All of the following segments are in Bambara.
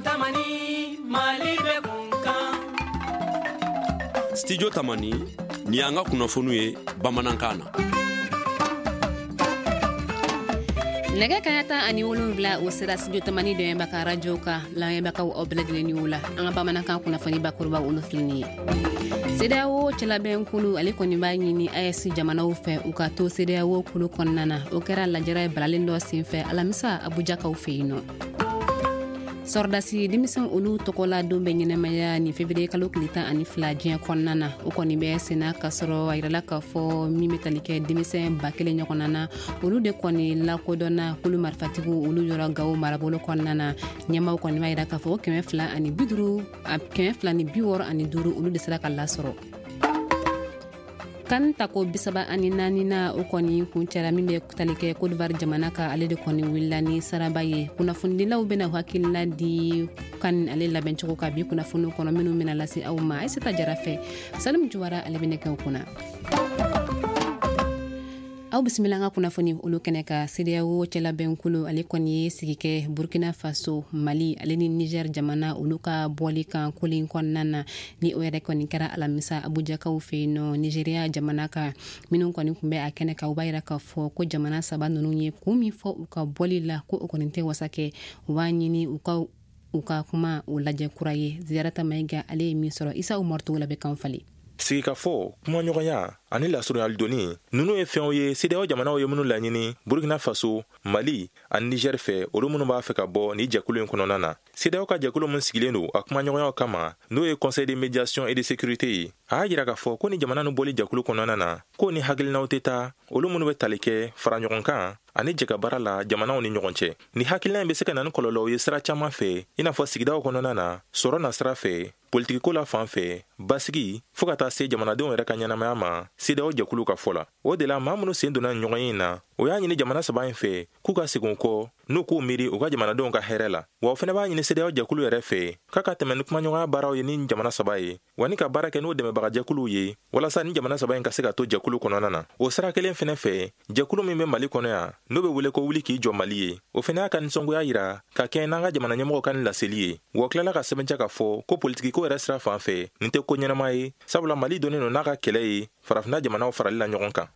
Tamani, Mali bɛ kun kan. Studio Tamani, nin y'an ka kunnafoniw ye bamanankan na. Nɛgɛ kaɲa 17, o sera Studio Tamani dɛmɛba ka radio kan. Lamɛnbagaw, aw bɛɛ lajɛlen ni wula. An ka bamanankan kunnafoni bakuruba, olu filɛ nin ye. CEDEAO cɛlabɛnkulu, ale kɔni b'a ɲini AES jamanaw fɛ, u ka to CEDEAO kulu kɔnɔna na. O kɛra lajɛrɛ balalen dɔ senfɛ alamisa, Abujakaw fɛ yen nɔ. Sɔrɔdasi denmisɛn, olu tɔgɔla don bɛ ɲɛnɛmaya nin février kalo tile 12 diɲɛ kɔnɔna na. O kɔni bɛ senna k'a sɔrɔ a yirala k'a fɔ min bɛ tali kɛ denmisɛn 1000 ɲɔgɔnna na, olu de kɔni lakodɔnna kulu marifatigiw olu yɔrɔ Gawo marabolo kɔnɔna na. Ɲɛmaw kɔni b'a yira k'a fɔ 250, 265, olu de sera ka lasɔrɔ. CAN tako 34 na, o kɔni kuncɛra. Min bɛ tali kɛ Côte d'Ivoire jamana kan, ale de kɔni wulila ni saraba ye. Kunnafonidilaw bɛna hakilina di CAN ale labɛncogo kan bi kunnafoniw kɔnɔ minnu bɛna lase aw ma Aïssata Jara fɛ. Salim Juwara, ale bɛ nɛgɛw kunna. Aw bisimila an ka kunnafoni olu kɛnɛ ka. CEDEAO cɛlabɛnkulu, ale kɔni ye sigi kɛ Burkina Faso, Mali ale ni Niger jamana, olu ka bɔli kan koli kɔnɔna na. Ni o yɛrɛ kɔni kɛra alamisa, Abujakaw fɛ yen nɔ, Nigéria jamana kan. Minnu kɔni tun bɛ a kɛnɛ kan, u b'a yira k'a fɔ ko jamana saba ninnu ye kun min fɔ u ka bɔli la, ko o kɔni tɛ wasa kɛ. U b'a ɲini u ka kuma o lajɛ kura ye. Ziyarata Mayiga, ale ye min sɔrɔ, Isa Umaru Togola bɛ kan falen. Sigikafɔ, kumaɲɔgɔnya ani lasurunyali donni, ninnu ye fɛnw ye CEDEAO jamanaw ye minnu laɲini Burkina Faso, Mali ani Niger fɛ, olu minnu b'a fɛ ka bɔ ni jɛkulu in kɔnɔna na. CEDEAO ka jɛkulu min sigilen don a kumaɲɔgɔnyaw kama, n'o ye Conseil de médiation et de sécurité ye, a y'a jira k'a fɔ ko ni jamana nu bɔli jɛkulu kɔnɔna na, k'o ni hakilinaw tɛ taa, olu minnu bɛ tali kɛ fara ɲɔgɔn kan ani jɛkabaara la jamanaw ni ɲɔgɔn cɛ. Ni hakilina in bɛ se ka na ni kɔlɔlɔw ye sira caman fɛ, i n'a fɔ sigidaw kɔnɔna na, sɔrɔ na sira fɛ, politikiko la fan fɛ, basigi, fɔɔ ka taa se jamanadenw yɛrɛ ka ɲɛnamaya ma, CEDEAO jɛkulu ka fɔ la. O de la, maa minnu sen donna ɲɔgɔn ye na, o y'a ɲini jamana saba in fɛ k'u ka segin kɔ n'u k'u miiri u ka jamanadenw ka hɛrɛ la. Wa o fɛnɛ b'a ɲini CEDEAO jɛkulu yɛrɛ fɛ k'a ka tɛmɛ ni kumaɲɔgɔnya baaraw ye ni jamana saba ye, wa ni ka baara kɛ n'o dɛmɛbagajɛkuluw ye, walasa ni jamana saba in ka se ka to jɛkulu kɔnɔna na. O sira kelen fɛnɛ fɛ, jɛkulu min bɛ Mali kɔnɔ yan, n'o bɛ wele ko Wuli k'i jɔ Mali ye, o fɛnɛ y'a ka nisɔngoya yira ka kɛ n'an ka jamana ɲɛmɔgɔw ka nin laseli ye. Wa tilala ka sɛbɛntiya k'a fɔ ko politikiko yɛrɛ sira fan fɛ, nin tɛ ko ɲɛnama ye, sabula Mali donnen don n'a ka kɛlɛ ye farafinna jamanaw farali la ɲɔgɔn kan.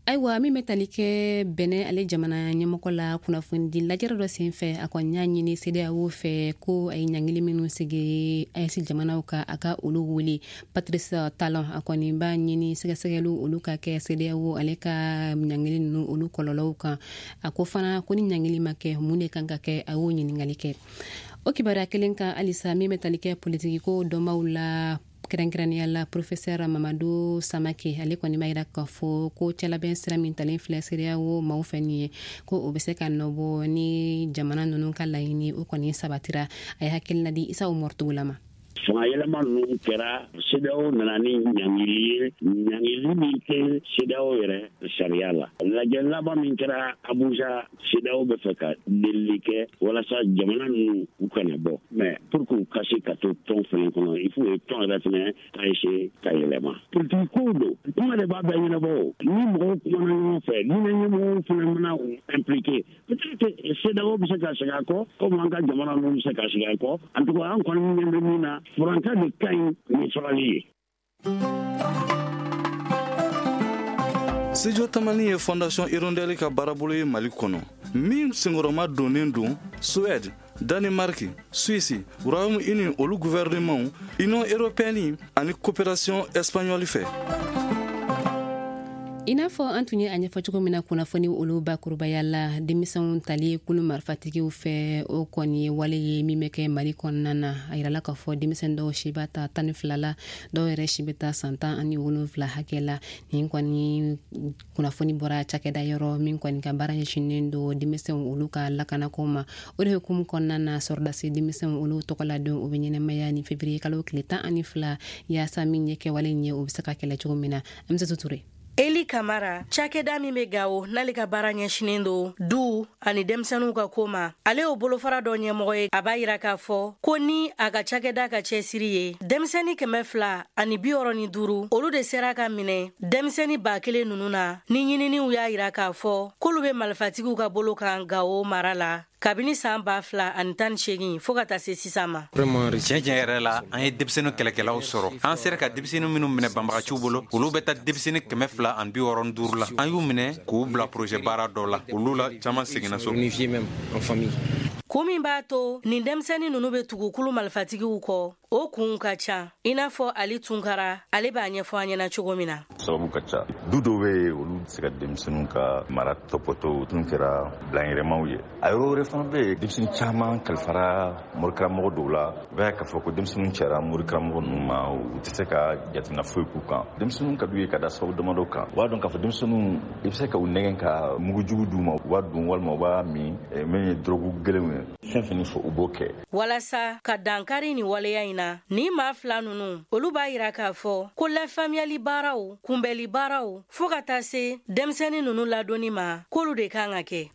Ayiwa, min bɛ tali kɛ Bɛnɛ ale jamana ɲɛmɔgɔ la, kunnafonidi lajɛrɛ dɔ sen fɛ, a kɔni y'a ɲini CEDEAO fɛ ko a ye ɲangili minnu sigi AES jamanaw kan, a ka olu wele. Patrice Talon, a kɔni b'a ɲini sɛgɛsɛgɛliw olu ka kɛ CEDEAO ale ka ɲangili ninnu olu kɔlɔlɔw kan. A ko fana ko ni ɲangili ma kɛ, mun de kan ka kɛ? A y'o ɲininkali kɛ. O kibaruya kelen kan halisa, min bɛ tali kɛ politikiko dɔnbaw la, kɛrɛnkɛrɛnnenya la professeur Mamadu Samake, ale kɔni b'a yira k'a fɔ ko cɛlabɛn sira min talen filɛ CEDEAO maaw fɛ nin ye, ko o bɛ se ka nɔbɔ ni jamana ninnu ka laɲini o kɔni sabatira. A ye hakilina di Isa Umaru Togola ma. Fanga yɛlɛma ninnu kɛra, CEDEAO nana ni ɲangili ye, ɲangili min tɛ CEDEAO yɛrɛ sariya la. Lajɛ laban min kɛra Abuja, CEDEAO bɛ fɛ ka delili kɛ walasa jamana ninnu u kana bɔ, mais pour que u ka se ka to tɔn fana kɔnɔ, il faut tɔn yɛrɛ fana ka essayer ka yɛlɛma. Politiki kow don, kuma de b'a bɛɛ ɲɛnabɔ. O ni mɔgɔw kumana ɲɔgɔn fɛ, diinɛ ɲɛmɔgɔw fana mana u impliqué, peut-être CEDEAO bɛ se ka segin a kɔ, komi an ka jamana ninnu bɛ se ka segin a kɔ. En tout cas, an kɔni ɲɛ bɛ min na, furanka de ka ɲi ni farali ye. Studio Tamani ye Fondation Hirondelle ka baarabolo ye Mali kɔnɔ, min senkɔrɔma donnen don Suède, Danemark, Suisse, Royaume Uni olu gouvernement, Union européenne ani coopération espagnole fɛ. I n'a fɔ an tun ye a ɲɛfɔ cogo min na kunnafoni olu bakurubaya la, denmisɛnw tali kulu marifatigiw fɛ, o kɔni ye wale ye min bɛ kɛ Mali kɔnɔna na. A yirala k'a fɔ denmisɛn dɔw si b'a ta 12 la, dɔw yɛrɛ si bɛ taa san 17 hakɛ la. Nin kɔni kunnafoni bɔra cakɛda yɔrɔ min kɔni ka baara ɲɛsinnen don denmisɛnw olu ka lakanako ma. O de hukumu kɔnɔna na, sɔrɔdasi denmisɛnw olu tɔgɔladenw, o bɛ ɲɛnɛmaya ni février kalo tile 12, yaasa min ye kɛwale ye, o bɛ se ka kɛlɛ cogo min na. An Ture. Eli Kamara, cakɛda min bɛ Gawo, n'ale ka baara ɲɛsinen don du ani denmisɛnninw ka ko ma, ale y'o bolofara dɔ ɲɛmɔgɔ ye. A b'a yira k'a fɔ ko ni a ka cakɛda ka cɛsiri ye, denmisɛnnin 265, olu de sera ka minɛ denmisɛnnin 1000 ninnu na, ni ɲininiw y'a yira k'a fɔ k'olu bɛ malifatigiw ka bolo kan Gawo mara la. Kabini san 2018 fo ka taa se sisan ma. Tiɲɛ tiɲɛ yɛrɛ la, an ye denmisɛnnin kɛlɛkɛlaw sɔrɔ. An sera ka denmisɛnnin minnu minɛ banbagaciw bolo, olu bɛ taa denmisɛnnin 265 la. An y'u minɛ k'u bila projet baara dɔ la. Olu la caman seginna so. Kun min b'a to nin denmisɛnnin ninnu bɛ tugu kulu malifatigiw kɔ, o kunw ka ca. I n'a fɔ Ali Tunkara, ale b'a ɲɛfɔ an ɲɛna cogo min na. Sababu ka ca. Du dɔw bɛ yen, olu tɛ se ka denmisɛnninw ka mara tɔpɔtɔ, tun kɛra bilanyɛrɛmaw ye. A yɔrɔ wɛrɛ fana bɛ yen, denmisɛnnin caman kalifara morikaramɔgɔ dɔw la. I b'a ye k'a fɔ ko denmisɛnninw cayara morikaramɔgɔ ninnu ma, u tɛ se ka jateminɛ foyi k'u kan. Denmisɛnninw ka d'u ye ka da sababu damadɔ kan. U b'a dɔn k'a fɔ denmisɛnninw, i bɛ se ka u nɛgɛn ka mugujugu d'u ma, u b'a dun walima u b'a min, min ye dɔrɔgu gɛlɛnw ye. Fɛn fɛn fɔ u b'o kɛ. Walasa ka dankari nin waleya in na, ni maa fila ninnu, olu b'a yira k'a fɔ ko lafaamuyali baaraw, kunbɛli baaraw, fo ka taa se denmisɛnnin ninnu ladonni ma, k'olu de kan ka kɛ.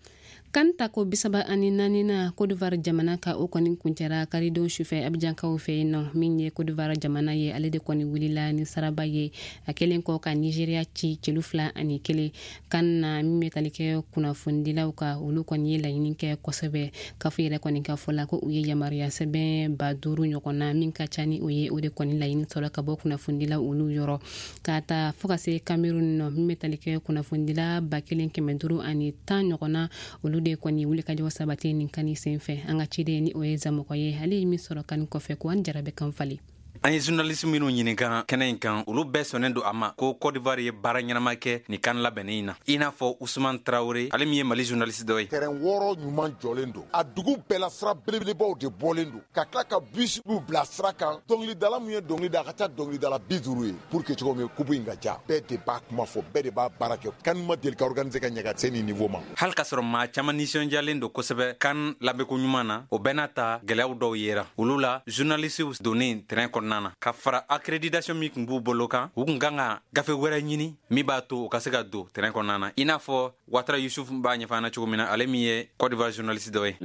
CAN tako 34 na Côte d'Ivoire jamana ka o kɔni kuncɛra karidon sufɛ Abidjankaw fɛ yen nɔ. Min ye Côte d'Ivoire jamana ye, ale de kɔni wulila ni saraba ye a kɛlen kɔ ka Nigeria ci celu 2-1. CAN na min bɛ tali kɛ kunnafonidilaw ka, olu kɔni ye laɲini kɛ kosɛbɛ. CAF yɛrɛ kɔni ka fɔ la ko u ye yamaruya sɛbɛn 5000 ɲɔgɔn na, min ka ca ni o ye, o de kɔni laɲini sɔrɔ ka bɔ kunnafonidilaw olu yɔrɔ. Ka taa fo ka se Cameroun nɔ, min bɛ tali kɛ kunnafonidila 1510 ɲɔgɔn na, olu de kɔni wulikajɔ sabati nin CAN sen fɛ. An ka ciden ni o ye Zamɔgɔ ye, ale ye min sɔrɔ CAN kɔfɛ, ko an jara bɛ kan falen. An ye journaliste minnu ɲininka kɛnɛ in kan, olu bɛɛ sɔnnen don a ma ko Côte d'Ivoire ye baara ɲɛnama kɛ nin CAN labɛnnen in na, i n'a fɔ Usman Traoré, ale min ye Mali journaliste dɔ ye. Terrain 6 ɲuman jɔlen don a dugu bɛɛ la, sira belebelebaw de bɔlen don, ka tila ka bus bila sira kan. Dɔnkilidala min ye dɔnkili da, a ka ca dɔnkilidala 50 ye, pour que cogo min coupe in ka ja, bɛɛ de b'a kuma fɔ, bɛɛ de b'a baara kɛ. CAN ma deli ka organiser ka ɲɛ ka se nin niveau ma. Hali k'a sɔrɔ maa caman nisɔndiyalen don kosɛbɛ CAN labɛnko ɲuman na, o bɛɛ n'a ta, gɛlɛyaw dɔw yera olu la. Journalistew donnen terrain kɔnɔna na, ka fara accréditation min tun b'u bolo kan, u kun kan ka gafe wɛrɛ ɲini min b'a to u ka se ka don terrain kɔnɔna na, i n'a fɔ Watara Yusuf b'a ɲɛfɔ an na cogo min na, ale min ye Côte d'Ivoire journaliste dɔ ye.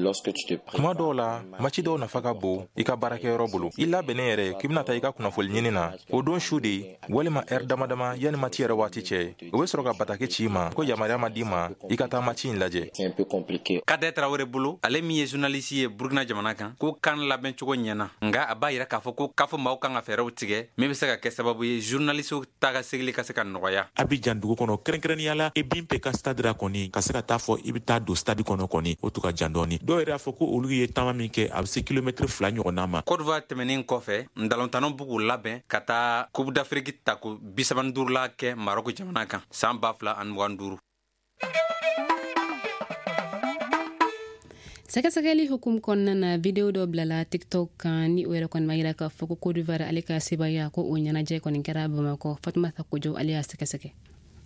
Kuma dɔw la, match dɔw nafa ka bon i ka baarakɛyɔrɔ bolo. I labɛnnen yɛrɛ k'i bɛna taa i ka kunnafoni ɲini na, o don su de walima ɛri dama dama yanni match yɛrɛ waati cɛ, o bɛ sɔrɔ ka bataki ci i ma ko yamaruya ma d'i ma i ka taa match in lajɛ. Kadɛ Tarawele bolo, ale min ye journaliste ye Burkina jamana kan, ko CAN labɛn cogo ɲɛna, nka a b'a yira k'a fɔ ko k'a fɔ maaw kan ka fɛɛrɛw tigɛ min bɛ se ka kɛ sababu ye journaliste ta ka segili ka se ka nɔgɔya. Abidjan dugu kɔnɔ, kɛrɛnkɛrɛnnenya la Ebimpe ka stade la kɔni, ka se ka taa fɔ i bɛ taa don stade kɔnɔ kɔni, o tun ka jan dɔɔni. Dɔw yɛrɛ y'a fɔ ko olu ye taama min kɛ, a bɛ se kilomɛtiri 2 ɲɔgɔnna ma. Côte d'Ivoire tɛmɛnen kɔfɛ, ntalontannaw b'u k'u labɛn ka taa Coupe d'Afrique tako 35 la kɛ Maroc jamana kan san 2025. Sɛgɛsɛgɛli hukumu kɔnɔna na, video dɔ bilala TikTok kan ni o yɛrɛ kɔni ma yira k'a fɔ ko Côte d'Ivoire ale ka sebaya ko o ɲɛnajɛ kɔni kɛra Bamakɔ. Fatumata Kojo, ale y'a sɛgɛsɛgɛ.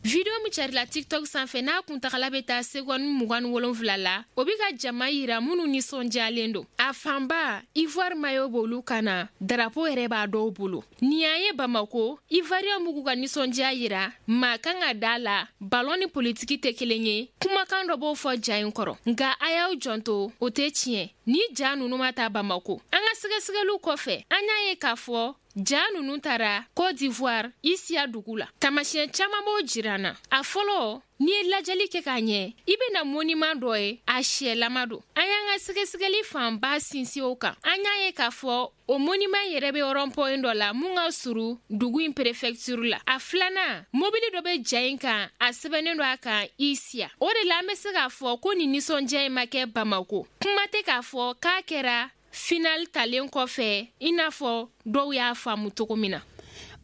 Video min carila TikTok sanfɛ, n'a kuntagala bɛ taa seconde 27 la, o bɛ ka jama yira minnu nisɔndiyalen don. A fanba, Ivoire maillot b'olu kan na, drapeau yɛrɛ b'a dɔw bolo. Nin y'an ye Bamako, Ivoirien b'u ka nisɔndiya yira. Maa kan ka da la, ballon ni politiki tɛ kelen ye. Kumakan dɔ b'o fɔ ja in kɔrɔ, nka a y'aw janto, o tɛ tiɲɛ. Ni ja ninnu ma taa Bamako, an ka sɛgɛsɛgɛliw kɔfɛ, an y'a ye k'a fɔ ja ninnu taara Côte d'Ivoire Isia dugu la. Taamasiyɛn caman b'o jira an na. A fɔlɔ, n'i ye lajɛli kɛ k'a ɲɛ, i bɛna monument dɔ ye, a siyɛlama don. An y'an ka sɛgɛsɛgɛli fanba sinsin o kan. An y'a ye k'a fɔ o monument yɛrɛ bɛ rond-point dɔ la mun ka surun dugu in préfecture la. A filanan, mobili dɔ bɛ ja in kan, a sɛbɛnnen don a kan Isia. O de la an bɛ se k'a fɔ ko nin nisɔndiya in ma kɛ Bamako. Kuma tɛ k'a fɔ k'a kɛra final talen kɔfɛ, i n'a fɔ dɔw y'a faamu cogo min na.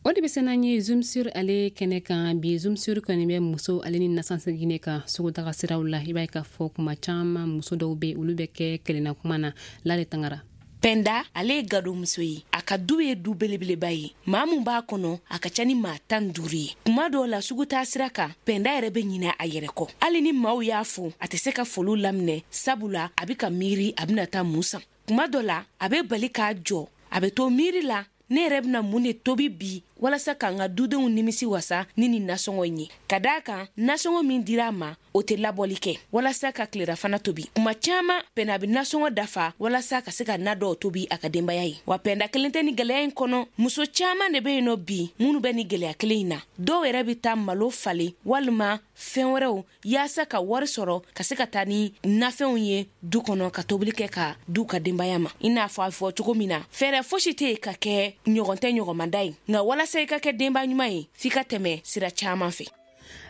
O de bɛ se n'an ye Zoom sur ale kɛnɛ kan bi. Zoom sur kɔni bɛ muso ale ni nasansegin kan sugutaga siraw la. I b'a ye k'a fɔ kuma caman, muso dɔw bɛ, olu bɛ kɛ kelenna kuma na lale tangara. Pɛnda, ale ye gadomuso ye. A ka du ye du belebeleba ye. Maa mun b'a kɔnɔ, a ka ca ni maa 15 ye. Kuma dɔw la, sugu taa sira kan, Pɛnda yɛrɛ bɛ ɲinɛ a yɛrɛ kɔ. Hali ni maaw y'a fo, a tɛ se ka foliw laminɛ, sabula a bɛ ka miiri a bɛna taa mun san. Kuma dɔ la, a bɛ bali k'a jɔ, a bɛ to miiri la: ne yɛrɛ bɛna mun de tobi bi? walasa k'an ka dudenw nimisi wasa ni nin nasɔngɔ in ye, ka d'a kan nasɔngɔ min dira a ma, o tɛ labɔli kɛ walasa ka tilerafana tobi. Kuma caman, Pɛnda bɛ nasɔngɔ dafa walasa ka se ka na dɔw tobi a ka denbaya ye. Wa Pɛnda kelen tɛ ni gɛlɛya in kɔnɔ, muso caman de bɛ yen nɔ bi minnu bɛ ni gɛlɛya kelen in na. Dɔw yɛrɛ bɛ taa malo falen walima fɛn wɛrɛw yaasa ka wari sɔrɔ ka se ka taa ni nafɛnw ye du kɔnɔ, ka tobili kɛ ka du ka denbaya ma. I n'a fɔ a fɔ cogo min na, fɛɛrɛ fosi tɛ yen ka kɛ ɲɔgɔn tɛ ɲɔgɔnmanda ye, nka walasa i ka kɛ denba ɲuman ye, f'i ka tɛmɛ sira caman fɛ.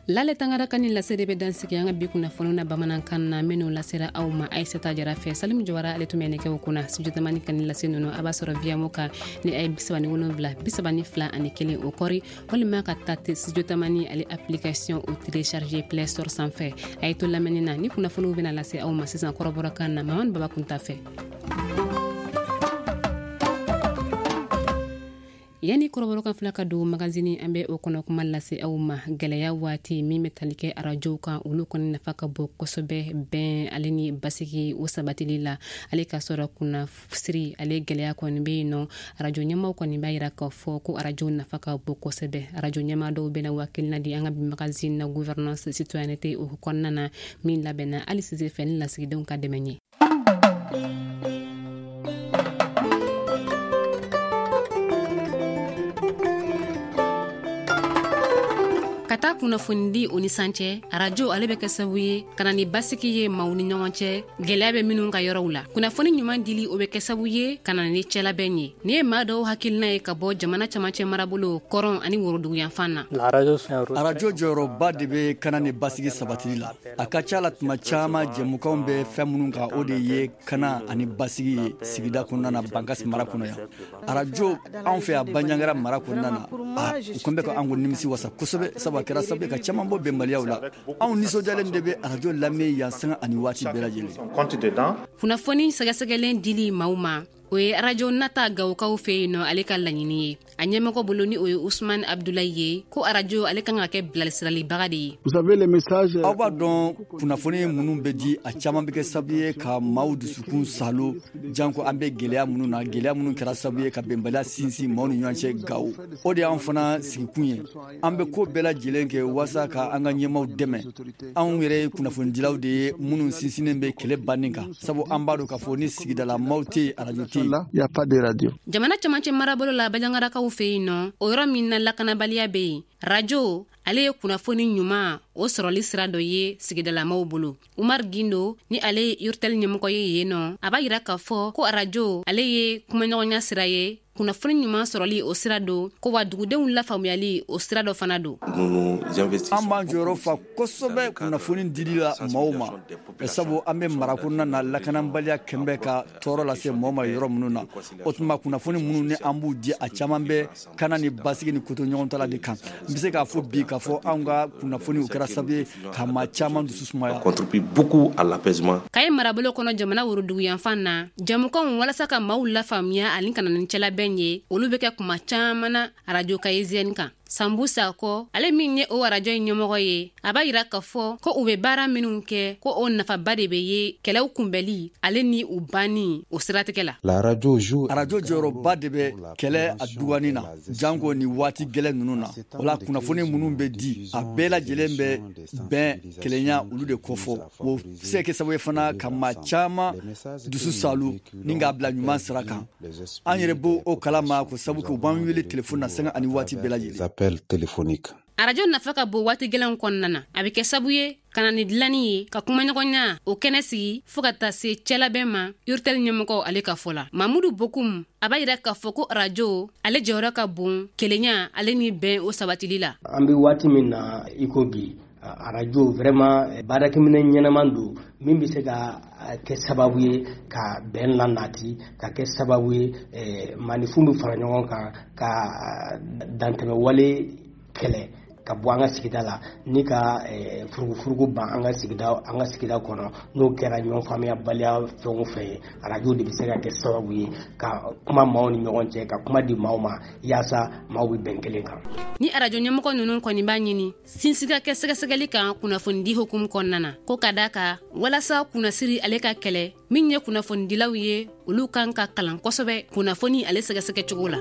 Lale Tangara ka nin lase de bɛ dansigi an ka bi kunnafoniw na bamanankan na, minnu lasera aw ma Aissata Jara fɛ. Salim Jawara, ale tun bɛ nɛgɛw kunna. Studio Tamani ka nin lase ninnu, a b'a sɔrɔ Viamo kan ni a ye 77 32 ani 1 o kɔri, walima ka taa Studio Tamani ale application o télécharger Play Store sanfɛ. A ye to lamɛnni na, ni kunnafoniw bɛna lase aw ma sisan kɔrɔbɔrɔkan na, Mamani Baba Kunta fɛ. Yanni kɔrɔbɔrɔkan fila ka don magazini, an bɛ o kɔnɔ kuma lase aw ma. Gɛlɛya waati min bɛ tali kɛ arajow kan, olu kɔni nafa ka bon kosɛbɛ bɛn ale ni basigi o sabatili la. Ale ka sɔrɔ kunnasiri ale gɛlɛya kɔni bɛ yen nɔ, arajo ɲɛmaw kɔni b'a yira k'a fɔ ko arajo nafa ka bon kosɛbɛ. Arajo ɲɛma dɔw bɛna wakilina di an ka bi magazine na, gouvernance citoyenneté o kɔnɔna na, min labɛnna hali sisan fɛ ni lasigidenw ka dɛmɛ ye. Ka taa kunnafonidi o ni san cɛ, arajo ale bɛ kɛ sababu ye ka na ni basigi ye maaw ni ɲɔgɔn cɛ, gɛlɛya bɛ minnu ka yɔrɔw la. Kunnafoni ɲuman dili, o bɛ kɛ sababu ye ka na ni cɛlabɛn ye. Nin ye maa dɔw hakilina ye ka bɔ jamana camancɛ marabolo kɔrɔn ani woroduguyanfan na. Arajo jɔyɔrɔba de bɛ kana ni basigi sabatili la. A ka ca la, tuma caman, jɛmukanw bɛ fɛn minnu kan, o de ye kana ani basigi ye sigida kɔnɔna na, Bankasi mara kɔnɔ yan. Arajo anw fɛ yan Banjagara mara kɔnɔna na, a u kɔn bɛ ka an ko nimisi wasa kosɛbɛ, sabu a kɛra sababu ye ka caman bɔ bɛnbaliyaw la. Anw nisɔndiyalen de bɛ arajo lamɛn yan sanga ani waati bɛɛ lajɛlen. Kunnafoni sɛgɛsɛgɛlen dili maaw ma, o ye arajo nata Gawokaw fɛ yen nɔ ale ka laɲini ye. A ɲɛmɔgɔ bolo, ni o ye Usman Abdulayi ye, ko arajo ale kan ka kɛ bilasiralibaga de ye. Aw b'a dɔn, kunnafoni minnu bɛ di, a caman bɛ kɛ sababu ye ka maaw dusukun salo, janko an bɛ gɛlɛya minnu na, gɛlɛya minnu kɛra sababu ye ka bɛnbaliya sinsin maaw ni ɲɔgɔn cɛ Gawo. O de y'an fana sigikun ye. An bɛ ko bɛɛ lajɛlen kɛ walasa ka an ka ɲɛmaaw dɛmɛ. Anw yɛrɛ ye kunnafonidilaw de ye minnu sinsinnen bɛ kɛlɛ banni kan, sabu an b'a dɔn k'a fɔ ni sigidala maaw tɛ yen, arajo tɛ yen. Jamana camancɛ marabolo la, Bajangarakaw fɛ yen nɔ, o yɔrɔ min na lakanabaliya bɛ yen, rajo ale ye kunnafoni ɲuman o sɔrɔli sira dɔ ye sigidalamaw bolo. Umar Gindo, ni ale ye Urtel ɲɛmɔgɔ ye yen nɔ, a b'a yira k'a fɔ ko arajo ale ye kumaɲɔgɔnya sira ye, kunnafoni ɲuman sɔrɔli o sira don, ko wa dugudenw lafaamuyali o sira dɔ fana don. An b'an jɔyɔrɔ fa kosɛbɛ kunnafoni dili la maaw ma, sabu an bɛ mara kɔnɔna na, lakanabaliya kɛn bɛ ka tɔɔrɔ lase maaw ma yɔrɔ minnu na. O tuma, kunnafoni minnu ni an b'u di, a caman bɛ kana ni basigi ni koto ɲɔgɔn de kan. N bɛ se k'a fɔ bi k'a fɔ anw ka kunnafoni, o kɛra sababu ye ka maa caman dusu sumaya. Kayi marabolo kɔnɔ, jamana woroduguyanfan na, jamukanw walasa ka maaw lafaamuya ani ka na ni cɛlabɛn ye, olu bɛ kɛ kuma caman na arajo Kayeziyɛni kan. Sanbu Sakɔ, ale min ye o arajo in ɲɛmɔgɔ ye, a b'a yira k'a fɔ ko u bɛ baara minnu kɛ, ko o nafaba de bɛ ye kɛlɛw kunbɛli ale ni u banni o siratigɛ la. Arajo jɔyɔrɔba de bɛ kɛlɛ a dugani na, janko ni waati gɛlɛn ninnu na. O la, kunnafoni minnu bɛ di, a bɛɛ lajɛlen bɛ bɛn, kelenya, olu de kofɔ. O se kɛ sababu ye fana ka maa caman dusu salu ni k'a bila ɲuman sira kan. An yɛrɛ b'o o kalama, ko sabu kɛ u b'an wele telefɔni na sanga ani waati bɛɛ lajɛlen. Arajo nafa ka bon waati gɛlɛnw kɔnɔna na. A bɛ kɛ sabu ye ka na ni dilanni ye, ka kumaɲɔgɔnya o kɛnɛ sigi, fɔɔ ka taa se cɛlabɛn ma. Urtel ɲɛmɔgɔ ale ka fɔ la, Mamudu Bokum, a b'a yira k'a fɔ ko arajo ale jɔyɔrɔ ka bon kelenya ale ni bɛn o sabatili la. An bɛ waati min na i ko bi, arajo vraiment baarakɛminɛ ɲɛnama don min bɛ se ka kɛ sababu ye ka bɛn lanati, ka kɛ sababu ye maaninfin bɛ fara ɲɔgɔn kan ka dantɛmɛ wale kɛlɛ ka bɔ an ka sigida la, ni ka furugufurugu ban an ka sigida kɔnɔ. N'o kɛra ɲɔgɔn faamuyabaliya fɛn o fɛn ye, arajo de bɛ se ka kɛ sababu ye ka kuma maaw ni ɲɔgɔn cɛ, ka kuma di maaw ma yaasa maaw bɛ bɛn kelen kan. Ni arajo ɲɛmɔgɔ ninnu kɔni b'a ɲini sinsin ka kɛ sɛgɛsɛgɛli kan kunnafonidi hukumu kɔnɔna na, ko ka da kan walasa kunnasiri ale ka kɛlɛ, min ye kunnafonidilaw ye, olu kan ka kalan kosɛbɛ kunnafoni ale sɛgɛsɛgɛ cogo la.